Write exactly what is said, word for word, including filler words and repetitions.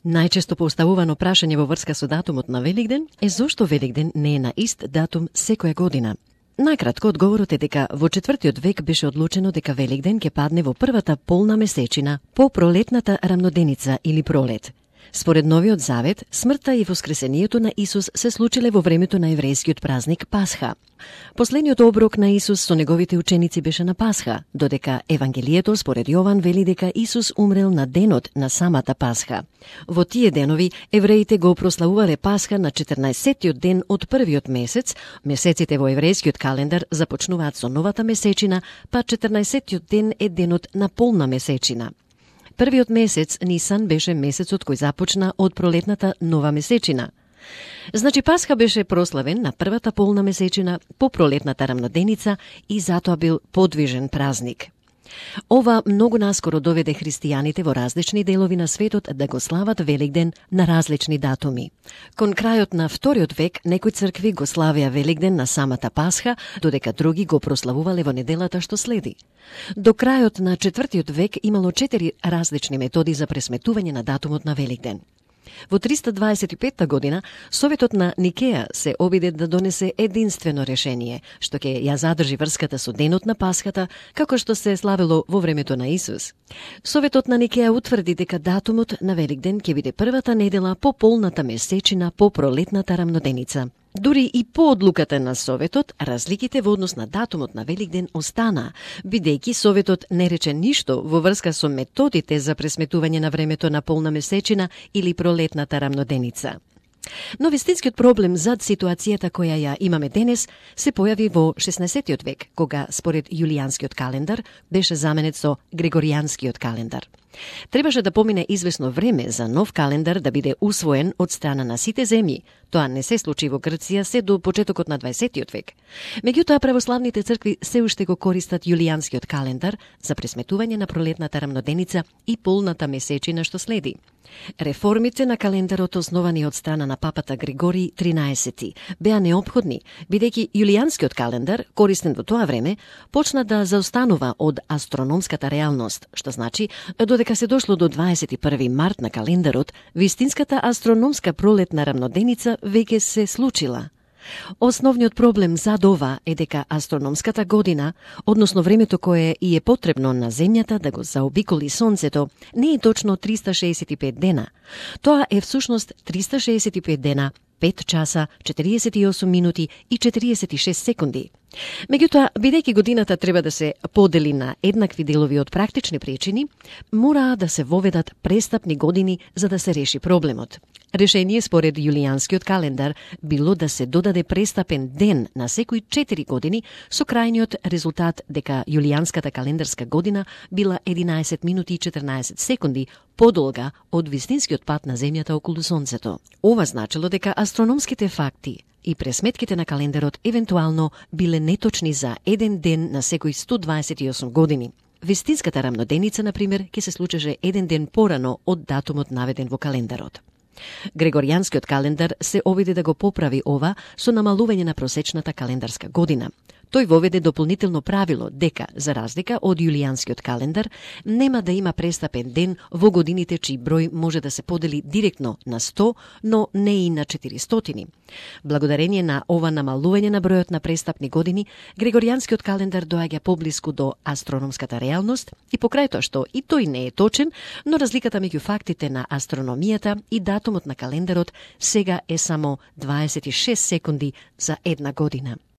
Најчесто поставувано прашање во врска со датумот на Великден е зошто Великден не е на ист датум секоја година. Најкратко, одговорот е дека во четвртиот век беше одлучено дека Великден ќе падне во првата полна месечина по пролетната рамноденица или пролет. Според Новиот Завет, смртта и воскресението на Исус се случиле во времето на еврејскиот празник Пасха. Последниот оброк на Исус со неговите ученици беше на Пасха, додека Евангелието според Јован вели дека Исус умрел на денот на самата Пасха. Во тие денови евреите го прославувале Пасха на четрнаесеттиот ден од првиот месец. Месеците во еврејскиот календар започнуваат со новата месечина, па четрнаесеттиот ден е денот на полна месечина. Првиот месец, Нисан, беше месецот кој започна од пролетната нова месечина. Значи Пасха беше прославен на првата полна месечина по пролетната рамноденица и затоа бил подвижен празник. Ова многу наскоро доведе христијаните во различни делови на светот да го слават Великден на различни датуми. Кон крајот на вториот век некои цркви го славеа Великден на самата Пасха, додека други го прославувале во неделата што следи. До крајот на четвртиот век имало четири различни методи за пресметување на датумот на Великден. Во триста дваесет и петта година Советот на Никеја се обиде да донесе единствено решение, што ќе ја задржи врската со денот на Пасхата, како што се славело во времето на Исус. Советот на Никеја утврди дека датумот на Великден ќе биде првата недела по полната месечина по пролетната рамноденица. Дури и по одлуката на Советот, разликите во однос на датумот на Великден остана, бидејќи Советот не рече ништо во врска со методите за пресметување на времето на полна месечина или пролетната рамноденица. Но вистинскиот проблем зад ситуацијата која ја имаме денес се појави во шеснаесеттиот век, кога според јулијанскиот календар беше заменет со григоријанскиот календар. Требаше да помине извесно време за нов календар да биде усвоен од страна на сите земји. Тоа не се случи во Грција се до почетокот на дваесеттиот век. Меѓутоа, православните цркви се уште го користат јулијанскиот календар за пресметување на пролетната рамноденица и полната месечина што следи. Реформите на календарот, основани од страна на папата Григорий тринаесети, беа неопходни, бидејќи јулијанскиот календар, користен во тоа време, почна да заостанува од астрономската реалност, што значи, додека се дошло до дваесет и први март на календарот, вистинската астрономска пролетна рамноденица веќе се случила. Основниот проблем зад ова е дека астрономската година, односно времето кое и е потребно на Земјата да го заобиколи Сонцето, не е точно триста шеесет и пет дена. Тоа е всушност триста шеесет и пет дена, пет часа, четириесет и осум минути и четириесет и шест секунди. Меѓутоа, бидејќи годината треба да се подели на еднакви делови од практични причини, мора да се воведат престапни години за да се реши проблемот. Решение според јулијанскиот календар било да се додаде престапен ден на секои четири години, со крајниот резултат дека јулијанската календарска година била единаесет минути и четрнаесет секунди подолга од вистинскиот пат на Земјата околу Сонцето. Ова значило дека астрономските факти и пресметките на календарот евентуално биле неточни за еден ден на секои сто дваесет и осум години. Вистинската рамноденица, например, ќе се случеше еден ден порано од датумот наведен во календарот. Григоријанскиот календар се обиде да го поправи ова со намалување на просечната календарска година. Тој воведе дополнително правило дека, за разлика од јулијанскиот календар, нема да има престапен ден во годините чиј број може да се подели директно на сто, но не и на четиристотини. Благодарение на ова намалување на бројот на престапни години, Григоријанскиот календар доаѓа поблиску до астрономската реалност и покрај тоа што и тој не е точен, но разликата меѓу фактите на астрономијата и датумот на календарот сега е само дваесет и шест секунди за една година.